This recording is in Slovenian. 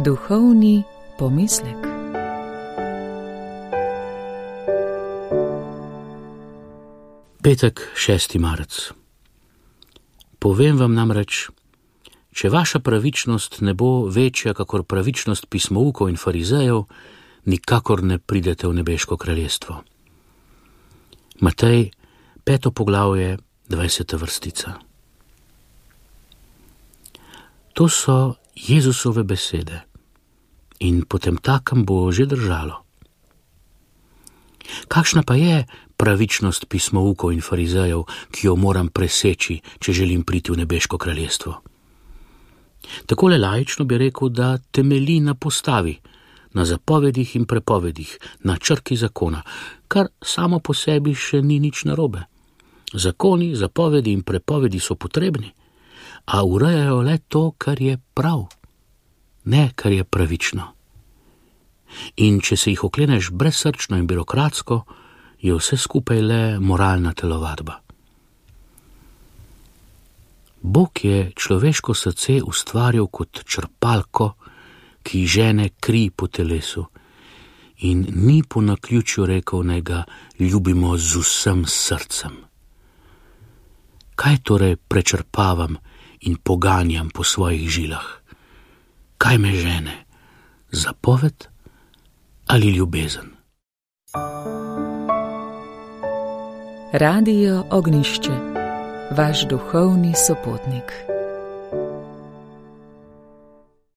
Duhovni pomislek. Petek, 6. marec. Povem vam namreč, če vaša pravičnost ne bo večja kakor pravičnost pismoukov in farizejev, nikakor ne pridete v nebeško kraljestvo. Matej, 5. poglavje, 20. vrstica. To so Jezusove besede in potemtakem bo že držalo. Kakšna pa je pravičnost pismoukov in farizejev, ki jo moram preseči, če želim priti v nebeško kraljestvo? Takole laično bi rekel, da temelji na postavi, na zapovedih in prepovedih, na črki zakona, kar samo po sebi še ni nič narobe. Zakoni, zapovedi in prepovedi so potrebni, a urejajo le to, kar je prav, ne kar je pravično. In če se jih okleneš brezsrčno in birokratsko, je vse skupaj le moralna telovadba. Bog je človeško srce ustvaril kot črpalko, ki žene kri po telesu, in ni po naključju rekel, naj ga ljubimo z vsem srcem. Kaj torej prečrpavam in poganjam po svojih žilah? Kaj me žene? Zapoved ali ljubezen? Radio Ognjišče, vaš duhovni sopotnik.